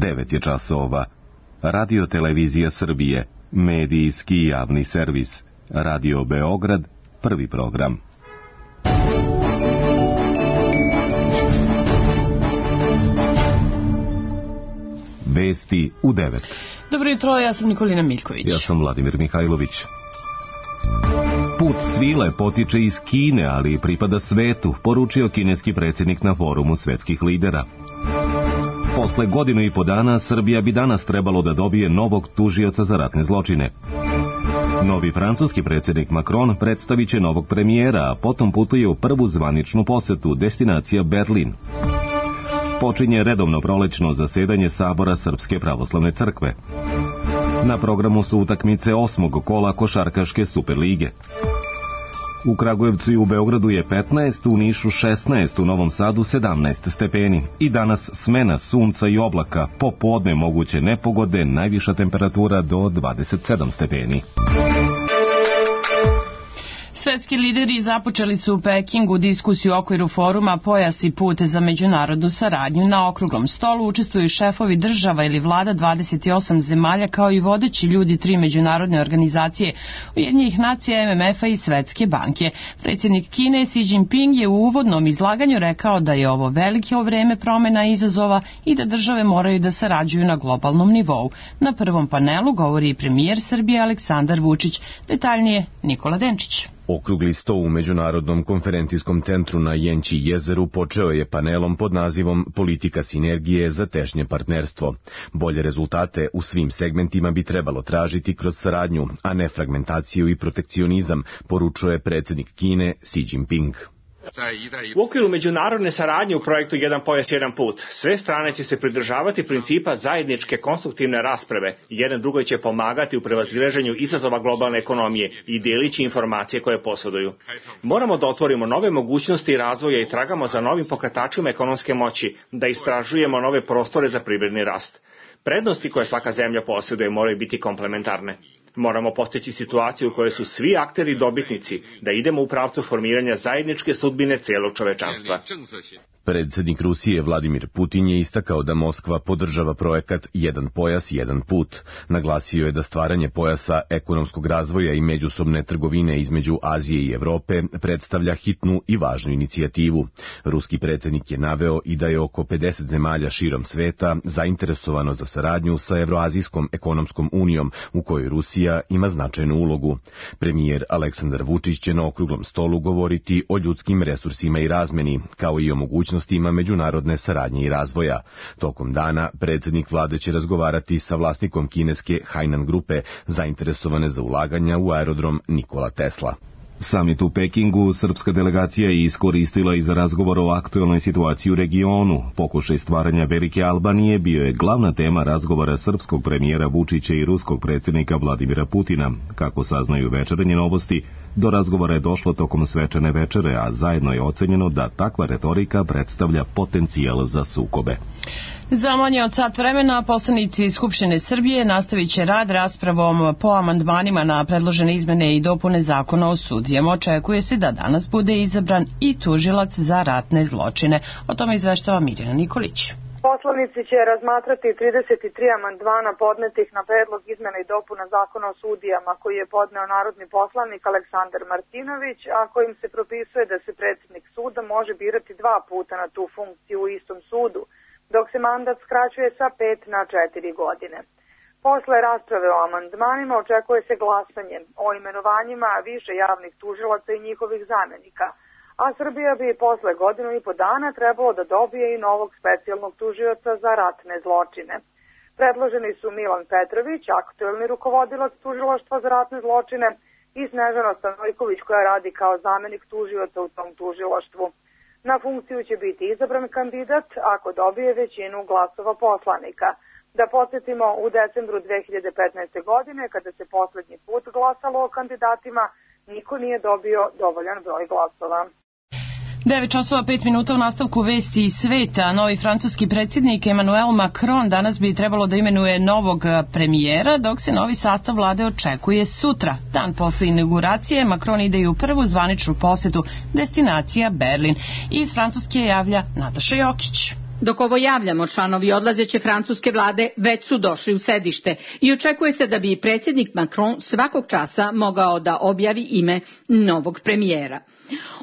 9 je časova. Radio Televizija Srbije, medijski javni servis. Radio Beograd, prvi program. Vesti u 9. Dobro jutro, ja sam Nikolina Miljković. Ja sam Vladimir Mihajlović. Put svile potiče iz Kine, ali pripada svetu, poručio kineski predsjednik na forumu svetskih lidera. Posle godinu i po dana, Srbija bi danas trebalo da dobije novog tužioca za ratne zločine. Novi francuski predsjednik Macron predstavit će novog premijera, a potom putuje u prvu zvaničnu posetu, destinacija Berlin. Počinje redovno prolećno zasedanje Sabora Srpske pravoslavne crkve. Na programu su utakmice 8. kola košarkaške Superlige. U Kragujevcu i u Beogradu je 15, u Nišu 16, u Novom Sadu 17 stepeni. I danas smena sunca i oblaka, popodne moguće nepogode, najviša temperatura do 27 stepeni. Svetski lideri započeli su u Pekingu diskusiju u okviru foruma Pojas i put za međunarodnu saradnju. Na okruglom stolu učestvuju šefovi država ili vlada 28 zemalja kao i vodeći ljudi 3 međunarodne organizacije Ujedinjenih nacija, MMF-a i Svetske banke. Predsjednik Kine Xi Jinping je u uvodnom izlaganju rekao da je ovo veliko vreme promjena i izazova i da države moraju da sarađuju na globalnom nivou. Na prvom panelu govori i premijer Srbije Aleksandar Vučić. Detaljnije Nikola Denčić. Okrugli sto u Međunarodnom konferencijskom centru na Jenči jezeru počeo je panelom pod nazivom Politika sinergije za tešnje partnerstvo. Bolje rezultate u svim segmentima bi trebalo tražiti kroz saradnju, a ne fragmentaciju i protekcionizam, poručuje predsjednik Kine Xi Jinping. U okviru međunarodne saradnje u projektu Jedan pojas, jedan put, sve strane će se pridržavati principa zajedničke konstruktivne rasprave i jedan drugoj će pomagati u prevazilaženju izazova globalne ekonomije i delići informacije koje posjeduju. Moramo da otvorimo nove mogućnosti razvoja i tragamo za novim pokretačima ekonomske moći, da istražujemo nove prostore za privredni rast. Prednosti koje svaka zemlja posjeduje moraju biti komplementarne. Moramo postići situaciju u kojoj su svi akteri dobitnici, da idemo u pravcu formiranja zajedničke sudbine cijelog čovečanstva. Predsjednik Rusije Vladimir Putin je istakao da Moskva podržava projekat Jedan pojas, jedan put. Naglasio je da stvaranje pojasa ekonomskog razvoja i međusobne trgovine između Azije i Evrope predstavlja hitnu i važnu inicijativu. Ruski predsjednik je naveo i da je oko 50 zemalja širom sveta zainteresovano za saradnju sa Evroazijskom ekonomskom unijom, u kojoj Rusija ima značajnu ulogu. Premijer Aleksandar Vučić će na okruglom stolu govoriti o ljudskim resursima i razmeni, kao i o mogućnostima međunarodne saradnje i razvoja. Tokom dana predsjednik vlade će razgovarati sa vlasnikom kineske Hainan grupe, zainteresovane za ulaganja u aerodrom Nikola Tesla. Samit u Pekingu srpska delegacija je iskoristila i za razgovor o aktuelnoj situaciji u regionu. Pokušaj stvaranja Velike Albanije bio je glavna tema razgovora srpskog premijera Vučića i ruskog predsjednika Vladimira Putina. Kako saznaju Večernje novosti, do razgovora je došlo tokom svečane večere, a zajedno je ocenjeno da takva retorika predstavlja potencijal za sukobe. Za manje od sat vremena poslanici Skupštine Srbije nastavit će rad raspravom po amandmanima na predložene izmene i dopune zakona o sudijama. Očekuje se da danas bude izabran i tužilac za ratne zločine. O tome izveštava Mirjana Nikolić. Poslanici će razmatrati 33 amandmana podnetih na predlog izmena i dopuna zakona o sudijama koji je podneo narodni poslanik Aleksandar Martinović, a kojim se propisuje da se predsjednik suda može birati 2 puta na tu funkciju u istom sudu, dok se mandat skraćuje sa 5 na 4 godine. Posle rasprave o amandmanima očekuje se glasanje o imenovanjima više javnih tužilaca i njihovih zamjenika, a Srbija bi posle godinu i po dana trebalo da dobije i novog specijalnog tužioca za ratne zločine. Predloženi su Milan Petrović, aktuelni rukovodilac tužilaštva za ratne zločine, i Snežana Stanojković koja radi kao zamjenik tužioca u tom tužilaštvu. Na funkciju će biti izabran kandidat ako dobije većinu glasova poslanika. Da podsjetimo, u decembru 2015. godine, kada se posljednji put glasalo o kandidatima, niko nije dobio dovoljan broj glasova. 9:05 u nastavku vesti iz sveta. Novi francuski predsjednik Emmanuel Macron danas bi trebalo da imenuje novog premijera, dok se novi sastav vlade očekuje sutra. Dan posle inauguracije Macron ide i u prvu zvaničnu posetu, destinacija Berlin. Iz Francuske javlja Nataša Jokić. Dok ovo javljamo, članovi odlazeće francuske vlade već su došli u sedište i očekuje se da bi predsjednik Macron svakog časa mogao da objavi ime novog premijera.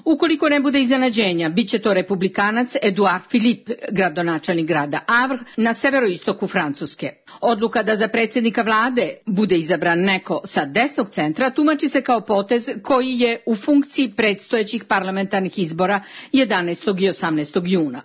Ukoliko ne bude iznenađenja, bit će to republikanac Edouard Philippe, gradonačelnik grada Havre na severoistoku Francuske. Odluka da za predsjednika vlade bude izabran neko sa desnog centra tumači se kao potez koji je u funkciji predstojećih parlamentarnih izbora 11. i 18. juna.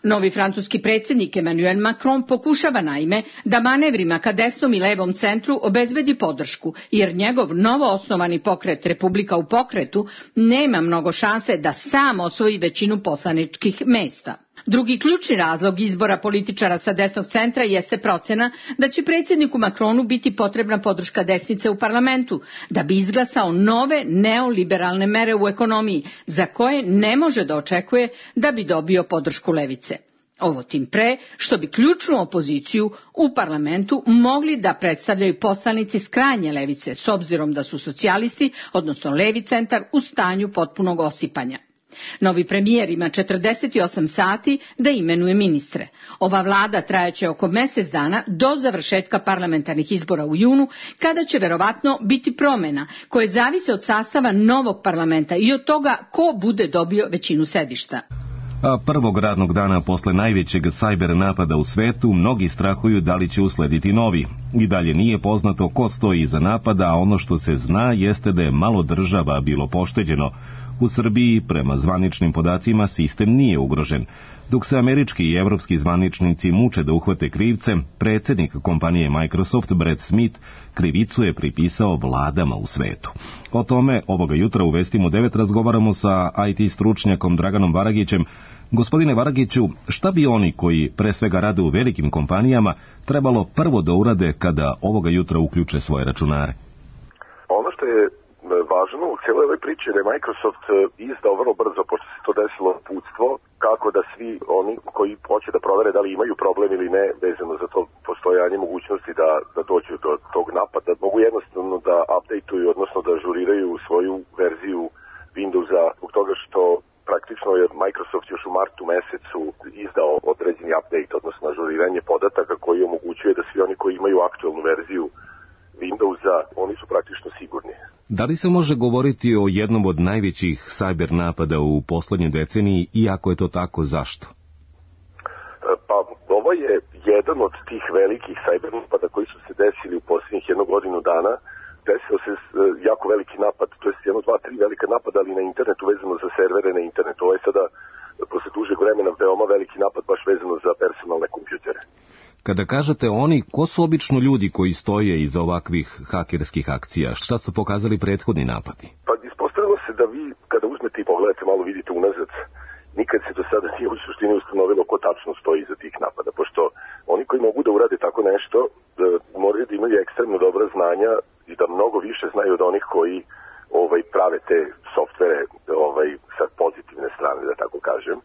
Novi francuski predsjednik Emmanuel Macron pokušava naime da manevrima ka desnom i levom centru obezbedi podršku, jer njegov novo osnovani pokret Republika u pokretu nema mnogo šanse da sam osvoji većinu poslaničkih mesta. Drugi ključni razlog izbora političara sa desnog centra jeste procena da će predsjedniku Macronu biti potrebna podrška desnice u parlamentu da bi izglasao nove neoliberalne mere u ekonomiji za koje ne može da očekuje da bi dobio podršku levice. Ovo tim pre što bi ključnu opoziciju u parlamentu mogli da predstavljaju poslanici s krajnje levice s obzirom da su socijalisti, odnosno levi centar, u stanju potpunog osipanja. Novi premijer ima 48 sati da imenuje ministre. Ova vlada trajaće oko mjesec dana do završetka parlamentarnih izbora u junu, kada će verovatno biti promjena koje zavise od sastava novog parlamenta i od toga ko bude dobio većinu sedišta. A prvog radnog dana posle najvećeg sajber napada u svetu, mnogi strahuju da li će uslediti novi. I dalje nije poznato ko stoji iza napada, a ono što se zna jeste da je malo država bilo pošteđeno. U Srbiji, prema zvaničnim podacima, sistem nije ugrožen. Dok se američki i evropski zvaničnici muče da uhvate krivce, predsjednik kompanije Microsoft, Brad Smith, krivicu je pripisao vladama u svetu. O tome ovoga jutra u Vestima u 9 razgovaramo sa IT stručnjakom Draganom Varagićem. Gospodine Varagiću, šta bi oni koji pre svega rade u velikim kompanijama trebalo prvo da urade kada ovoga jutra uključe svoje računare? Ono što je važno u cijeloj ovoj priči je da je Microsoft izdao vrlo brzo, pošto se to desilo, uputstvo kako da svi oni koji hoće da provere da li imaju problem ili ne vezano za to postojanje mogućnosti da dođu do tog napada, mogu jednostavno da updateuju, odnosno da ažuriraju svoju verziju Windowsa, zbog toga što praktično je Microsoft još u martu mesecu izdao određeni update, odnosno ažuriranje podataka koji omogućuje da svi oni koji imaju aktualnu verziju Windowsa, oni su praktično sigurni. Da li se može govoriti o jednom od najvećih cyber napada u poslednjoj deceniji i ako je to tako, zašto? Pa ovo je jedan od tih velikih cyber napada koji su se desili u posljednjih 1 godinu dana. Desio se jako veliki napad, to je 1, 2, 3 velika napada, ali na internetu vezano za servere na internetu. Ovo je sada posle dužeg vremena veoma veliki napad baš vezano za personalne kompjutere. Kada kažete oni, ko su obično ljudi koji stoje iza ovakvih hakerskih akcija? Šta su pokazali prethodni napadi? Pa ispostavilo se da vi, kada uzmete i pogledate, malo vidite unazad, nikad se do sada nije u suštini ustanovilo ko tačno stoji iza tih napada, pošto oni koji mogu da urade tako nešto, moraju da imaju ekstremno dobra znanja i da mnogo više znaju od onih koji prave te softvere sa pozitivne strane, da tako kažem.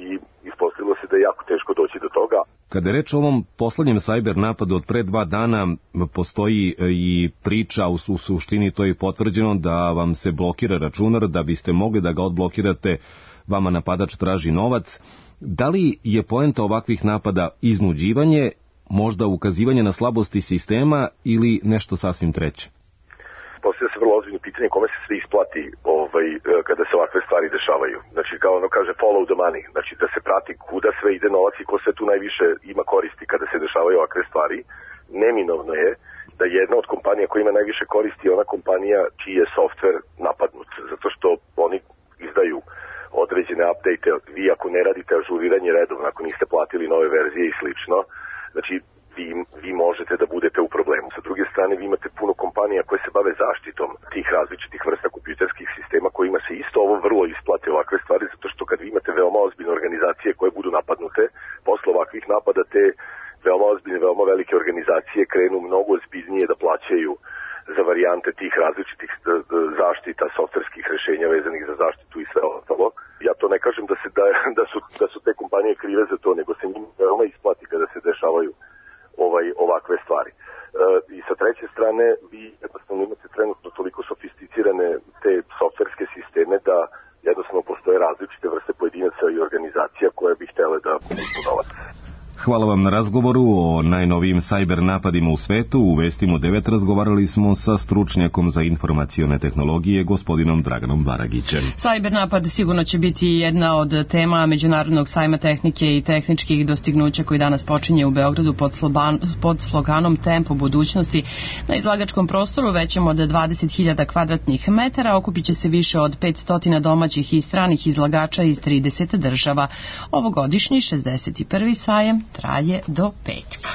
I ispostavilo se da je jako teško doći do toga. Kada je reč o ovom poslednjem cyber napadu od pre 2 dana, postoji i priča, u suštini to je potvrđeno, da vam se blokira računar, da biste mogli da ga odblokirate, vama napadač traži novac. Da li je poenta ovakvih napada iznuđivanje, možda ukazivanje na slabosti sistema ili nešto sasvim treće? Postavlja se vrlo ozbiljno pitanje kome se sve isplati kada se ovakve stvari dešavaju. Znači, kao ono kaže follow the money, znači da se prati kuda sve ide novac i ko sve tu najviše ima koristi kada se dešavaju ovakve stvari. Neminovno je da jedna od kompanija koja ima najviše koristi je ona kompanija čiji je softver napadnut, zato što oni izdaju određene update. Vi ako ne radite ažuriranje redovno, ako niste platili nove verzije i slično, znači vi možete da budete u problemu. Sa druge strane, vi imate puno kompanija koje se bave zaštitom tih različitih vrsta kompjuterskih sistema kojima se isto ovo vrlo isplate ovakve stvari, zato što kad vi imate veoma ozbiljne organizacije koje budu napadnute, posle ovakvih napada te veoma ozbiljne, veoma velike organizacije krenu mnogo ozbiljnije da plaćaju za varijante tih različitih zaštita, softverskih rešenja vezanih za zaštitu i sve ostalo. Ja to ne kažem da su te kompanije krive za to, nego se njim veoma isplati kada se dešavaju ovakve stvari. I sa treće strane, vi jednostavno imate trenutno toliko sofisticirane te softverske sisteme da jednostavno postoje različite vrste pojedinaca i organizacija koje bi htele da uzmu novac. Hvala vam na razgovoru o najnovijim sajber napadima u svetu. U Vestima 9 razgovarali smo sa stručnjakom za informacione tehnologije, gospodinom Draganom Baragićem. Sajber napad sigurno će biti jedna od tema Međunarodnog sajma tehnike i tehničkih dostignuća koji danas počinje u Beogradu pod sloganom Tempo budućnosti. Na izlagačkom prostoru većem od 20.000 kvadratnih metara okupit će se više od 500 domaćih i stranih izlagača iz 30 država. Ovogodišnji 61. sajem traje do petka.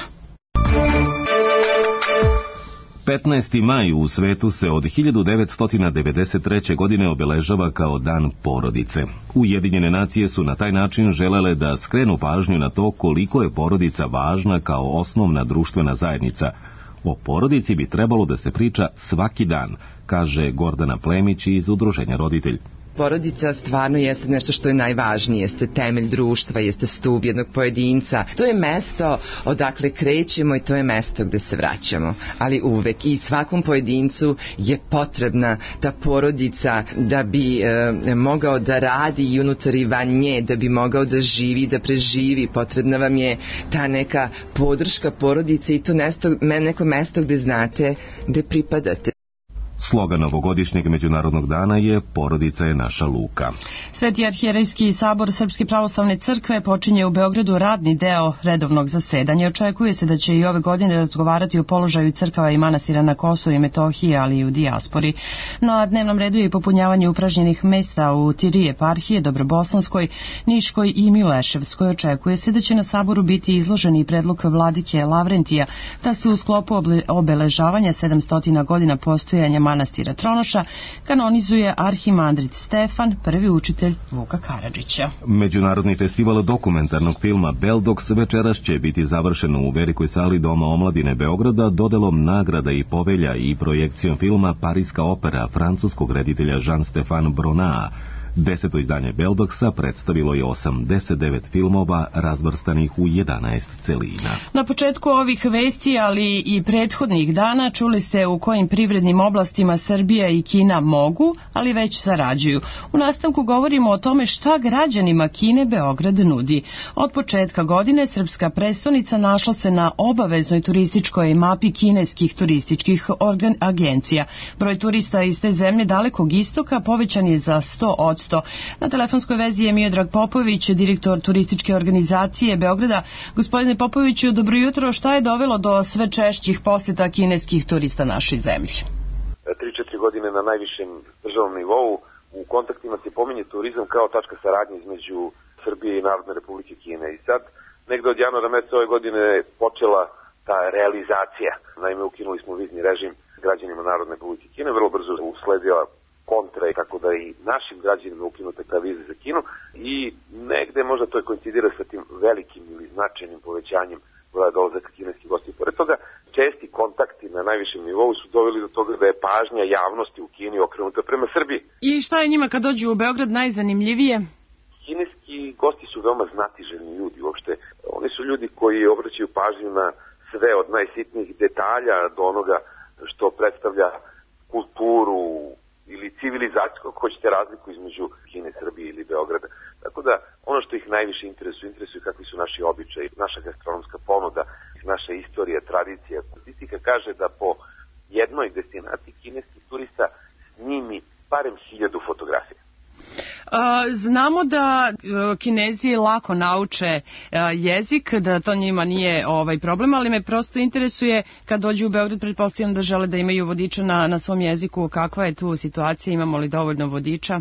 15. maj u svetu se od 1993. godine obeležava kao Dan porodice. Ujedinjene nacije su na taj način želele da skrenu pažnju na to koliko je porodica važna kao osnovna društvena zajednica. O porodici bi trebalo da se priča svaki dan, kaže Gordana Plemić iz Udruženja Roditelj. Porodica stvarno jeste nešto što je najvažnije, jeste temelj društva, jeste stub jednog pojedinca. To je mesto odakle krećemo i to je mesto gde se vraćamo. Ali uvek i svakom pojedincu je potrebna ta porodica da bi mogao da radi i unutar i van nje, da bi mogao da živi, da preživi. Potrebna vam je ta neka podrška porodice i to neko mesto gde znate gde pripadate. Slogan ovogodišnjeg Međunarodnog dana je Porodica je naša luka. Sveti arhijerejski sabor Srpske pravoslavne crkve počinje u Beogradu radni deo redovnog zasedanja. Očekuje se da će i ove godine razgovarati o položaju crkava i manastira na Kosovu i Metohiji, ali i u dijaspori. Na dnevnom redu je i popunjavanje upražnjenih mesta u 3 eparhije, Dobrobosanskoj, Niškoj i Mileševskoj. Očekuje se da će na saboru biti izloženi i predlog vladike Lavrentija da se u sklopu obeležavanja 700 godina postojanja manastira Tronoša kanonizuje arhimandrit Stefan, prvi učitelj Vuka Karadžića. Međunarodni festival dokumentarnog filma Beldox večeras će biti završen u velikoj sali Doma omladine Beograda dodelom nagrada i povelja i projekcijom filma Pariska opera francuskog reditelja Jean-Stéphane Bronaa. 10. izdanje Beldoxa predstavilo je 89 filmova razvrstanih u 11 celina. Na početku ovih vesti, ali i prethodnih dana, čuli ste u kojim privrednim oblastima Srbija i Kina mogu, ali već sarađuju. U nastavku govorimo o tome šta građanima Kine Beograd nudi. Od početka godine srpska prestonica našla se na obaveznoj turističkoj mapi kineskih turističkih agencija. Broj turista iz te zemlje Dalekog istoka povećan je za 100%. Na telefonskoj vezi je Miodrag Popović, direktor turističke organizacije Beograda. Gospodine Popoviću, dobro jutro. Šta je dovelo do sve češćih poseta kineskih turista našoj zemlji? 3-4 godine na najvišem državnom nivou u kontaktima se pominje turizam kao tačka saradnje između Srbije i Narodne Republike Kine. I sad, negde od januara meseca ove godine je počela ta realizacija. Naime, ukinuli smo vizni režim građanima Narodne Republike Kine, vrlo brzo usledila kontra i kako da i našim građanima ukinute ta vize za Kinu i negde možda to koincidira sa tim velikim ili značajnim povećanjem broja dolazaka kineskih gostiju. Pored toga, česti kontakti na najvišem nivou su doveli do toga da je pažnja javnosti u Kini okrenuta prema Srbiji. I šta je njima kad dođu u Beograd najzanimljivije? Kineski gosti su veoma znatiželjni ljudi uopšte. Oni su ljudi koji obraćaju pažnju na sve od najsitnijih detalja do onoga što predstavlja kulturu ili civilizacijsko, ako hoćete, razliku između Kine, Srbije ili Beograda. Tako da, ono što ih najviše interesuje kakvi su naši običaji, naša gastronomska ponuda, naša istorija, tradicija. Statistika kaže da po jednoj destinaciji kineskih turista snimi barem 1000 fotografija. Znamo da Kinezi lako nauče jezik, da to njima nije problem, ali me prosto interesuje kad dođu u Beograd, pretpostavljam da žele da imaju vodiča na svom jeziku. Kakva je tu situacija, imamo li dovoljno vodiča?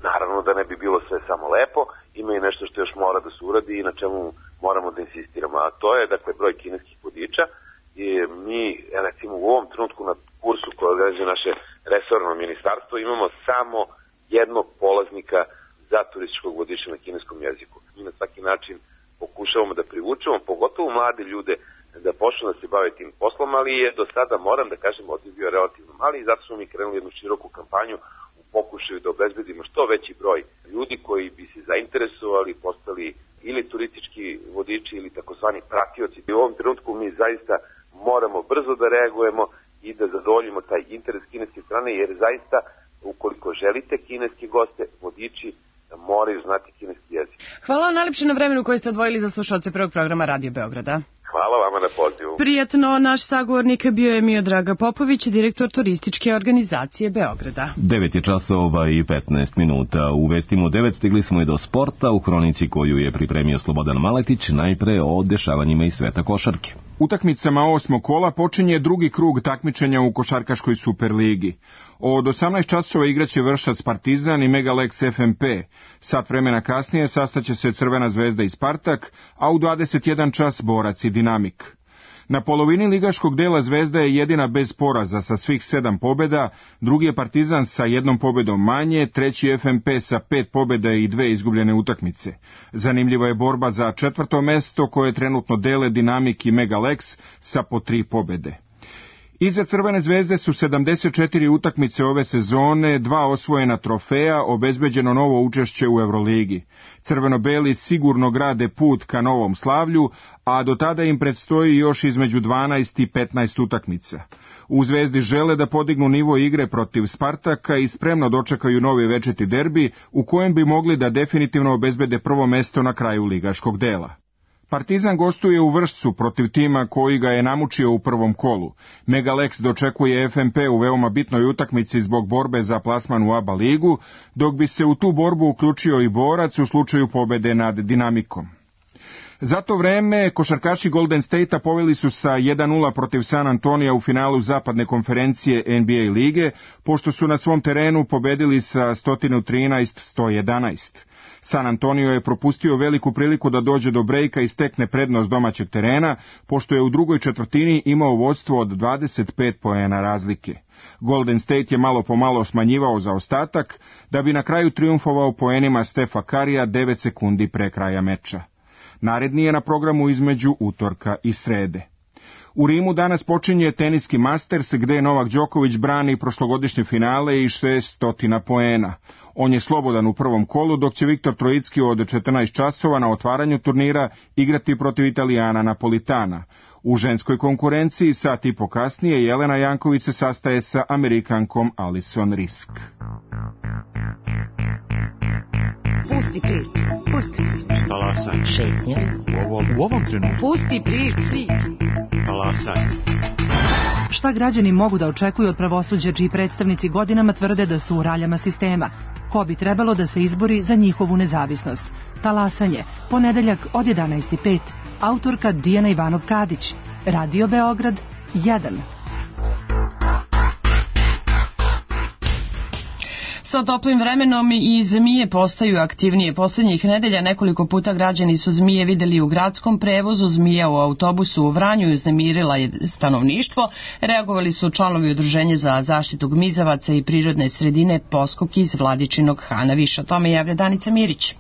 Naravno da ne bi bilo sve samo lepo, ima i nešto što još mora da se uradi i na čemu moramo da insistiramo, a to je dakle broj kineskih vodiča. I mi recimo u ovom trenutku na kursu koje organizuje naše resorno ministarstvo imamo samo jednog polaznika za turističkog vodiča na kineskom jeziku. Mi na svaki način pokušavamo da privučemo, pogotovo mlade ljude, da počnu da se bave tim poslom, ali je do sada, moram da kažem, odliv bio relativno mali i zato smo mi krenuli jednu široku kampanju u pokušaju da obezbedimo što veći broj ljudi koji bi se zainteresovali, postali ili turistički vodiči ili takozvani pratioci. U ovom trenutku mi zaista moramo brzo da reagujemo i da zadovoljimo taj interes kineske strane, jer zaista ukoliko želite kineske goste, vodiči vodiči moraju znati kineski jezik. Hvala vam najlepše na vremenu koje ste odvojili za slušalce prvog programa Radio Beograda. Hvala vama na pozivu. Prijatno, naš sagovornik bio je Miodrag Popović, direktor turističke organizacije Beograda. 9 je časova i 15 minuta. U vestima u 9 stigli smo i do sporta u hronici koju je pripremio Slobodan Maletić, najpre o dešavanjima iz sveta košarke. Utakmicama 8. kola počinje drugi krug takmičenja u košarkaškoj Superligi. Od 18 časova igraće Vršac Partizan i Megalex FMP. Sat vremena kasnije sastaće se Crvena zvezda i Spartak, a u 21 čas Borac i Dinamik. Na polovini ligaškog dela Zvezda je jedina bez poraza sa svih 7 pobjeda, drugi je Partizan sa 1 pobjedom manje, treći FMP sa 5 pobjeda i 2 izgubljene utakmice. Zanimljiva je borba za 4. mesto koje trenutno dele Dinamik i Megalex sa po 3 pobjede. Iza Crvene zvezde su 74 utakmice ove sezone, 2 osvojena trofeja, obezbeđeno novo učešće u Euroligi. Crveno-beli sigurno grade put ka novom slavlju, a do tada im predstoji još između 12 i 15 utakmica. U Zvezdi žele da podignu nivo igre protiv Spartaka i spremno dočekaju novi večiti derbi u kojem bi mogli da definitivno obezbede prvo mesto na kraju ligaškog dela. Partizan gostuje u Vršcu protiv tima koji ga je namučio u prvom kolu. Megalex dočekuje FMP u veoma bitnoj utakmici zbog borbe za plasman u ABA ligu, dok bi se u tu borbu uključio i Borac u slučaju pobede nad Dinamikom. Za to vreme košarkaši Golden State-a poveli su sa 1-0 protiv San Antonija u finalu zapadne konferencije NBA lige, pošto su na svom terenu pobedili sa 113-111. San Antonio je propustio veliku priliku da dođe do brejka i stekne prednost domaćeg terena, pošto je u drugoj četvrtini imao vodstvo od 25 poena razlike. Golden State je malo po malo smanjivao zaostatak, da bi na kraju trijumfovao poenima Stefa Karija 9 sekundi pre kraja meča. Naredni je na programu između utorka i srede. U Rimu danas počinje teniski Masters, gde Novak Đoković brani prošlogodišnje finale i 600 poena. On je slobodan u prvom kolu, dok će Viktor Trojicki od 14 časova na otvaranju turnira igrati protiv Italijana Napolitana. U ženskoj konkurenciji sat i po kasnije Jelena Janković se sastaje sa Amerikankom Alison Risk. Pusti priču, pusti priču. Talasaj. Šetnja. U ovom trenutku. Pusti priču. Talasaj. Šta građani mogu da očekuju od pravosuđa čiji predstavnici godinama tvrde da su u raljama sistema? Ko bi trebalo da se izbori za njihovu nezavisnost? Talasanje, ponedeljak od 11:05. Autorka Dijana Ivanov-Kadić. Radio Beograd 1. Sa toplim vremenom i zmije postaju aktivnije. Poslednjih nedelja nekoliko puta građani su zmije videli u gradskom prevozu, zmija u autobusu u Vranju uznemirila je stanovništvo. Reagovali su članovi Udruženja za zaštitu gmizavaca i prirodne sredine Poskok iz Vladičinog Hana. Više o tome javlja Danica Mirić.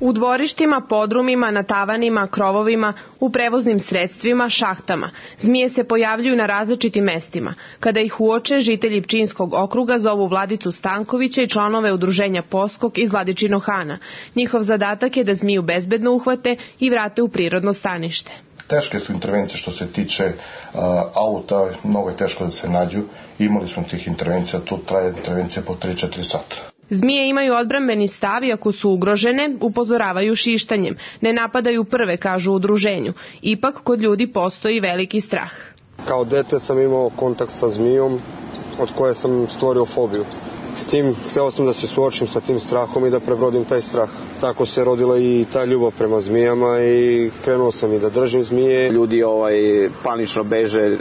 U dvorištima, podrumima, na tavanima, krovovima, u prevoznim sredstvima, šahtama. Zmije se pojavljuju na različitim mestima. Kada ih uoče, žitelji Pčinjskog okruga zovu Vladicu Stankovića i članove Udruženja Poskok iz Vladičinog Hana. Njihov zadatak je da zmiju bezbedno uhvate i vrate u prirodno stanište. Teške su intervencije što se tiče auta, mnogo je teško da se nađu. Imali smo tih intervencija, tu traje intervencija po 3-4 sata. Zmije imaju odbrambeni stav i ako su ugrožene, upozoravaju šištanjem. Ne napadaju prve, kažu u udruženju. Ipak kod ljudi postoji veliki strah. Kao dete sam imao kontakt sa zmijom od koje sam stvorio fobiju. S tim hteo sam da se suočim sa tim strahom i da prebrodim taj strah. Tako se rodila i ta ljubav prema zmijama i krenuo sam i da držim zmije. Ljudi panično beže,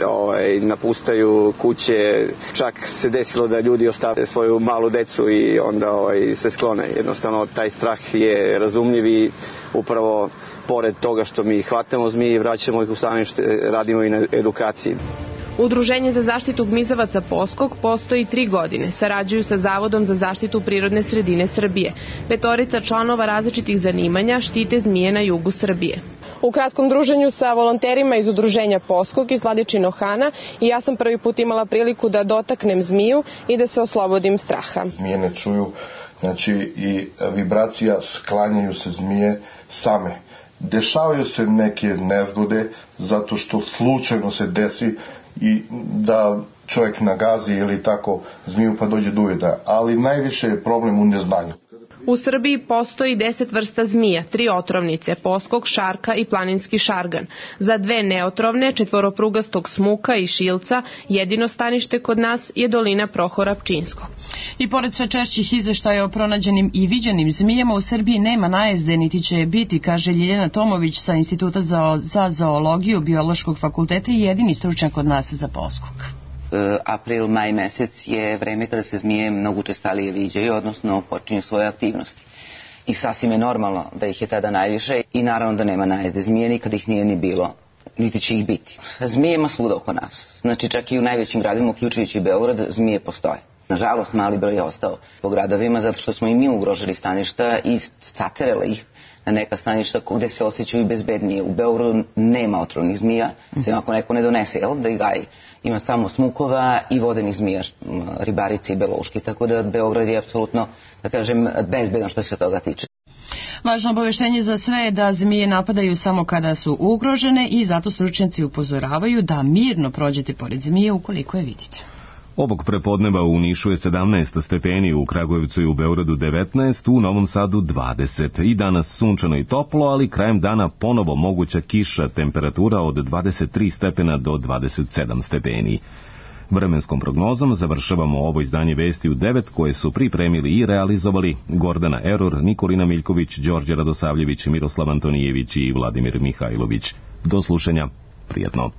napustaju kuće. Čak se desilo da ljudi ostave svoju malu decu i onda se sklone. Jednostavno taj strah je razumljiv i upravo pored toga što mi hvatamo zmije i vraćamo ih u stanište, radimo i na edukaciji. Udruženje za zaštitu gmizavaca Poskok postoji 3 godine. Sarađuju sa Zavodom za zaštitu prirodne sredine Srbije. 5 članova različitih zanimanja štite zmije na jugu Srbije. U kratkom druženju sa volonterima iz Udruženja Poskok iz Vladičinog Hana i ja sam prvi put imala priliku da dotaknem zmiju i da se oslobodim straha. Zmije ne čuju, znači i vibracija, sklanjaju se zmije same. Dešavaju se neke nezgode zato što slučajno se desi i da čovjek nagazi ili tako zmiju pa dođe do ujeda, ali najviše je problem u neznanju. U Srbiji postoji 10 vrsta zmija, 3 otrovnice, poskok, šarka i planinski šargan. Za 2 neotrovne, četvoroprugastog smuka i šilca, jedino stanište kod nas je dolina Prohora Pčinskog. I pored sve češćih izveštaja o pronađenim i viđenim zmijama, u Srbiji nema najezde, niti će je biti, kaže Ljiljana Tomović sa Instituta za zoologiju Biološkog fakulteta i jedini stručnjak kod nas za poskok. April, maj mesec je vreme kada se zmije mnogo učestalije viđaju, odnosno počinju svoje aktivnosti. I sasvim je normalno da ih je tada najviše i naravno da nema najezde zmije, nikad ih nije ni bilo, niti će ih biti. Zmije ima svuda oko nas, znači čak i u najvećim gradima, uključujući Beograd, zmije postoje. Nažalost, mali broj je ostao po gradovima zato što smo i mi ugrožili staništa i saterali ih na neka staništa gde se osjećaju bezbednije. U Beogradu nema otrovnih zmija, sem ako neko ne donese, da ih gaji. Ima samo smukova i vodenih zmija, ribarice i belouški, tako da Beograd je apsolutno, da kažem, bezbedan što se toga tiče. Važno obaveštenje za sve je da zmije napadaju samo kada su ugrožene i zato stručnjaci upozoravaju da mirno prođete pored zmije ukoliko je vidite. Ovog prepodneva u Nišu je 17 stepeni, u Kragujevcu i u Beogradu 19, u Novom Sadu 20. I danas sunčano i toplo, ali krajem dana ponovo moguća kiša, temperatura od 23 stepena do 27 stepeni. Vremenskom prognozom završavamo ovo izdanje Vesti u 9 koje su pripremili i realizovali Gordana Eror, Nikolina Miljković, Đorđe Radosavljević, Miroslav Antonijević i Vladimir Mihajlović. Do slušanja, prijetno.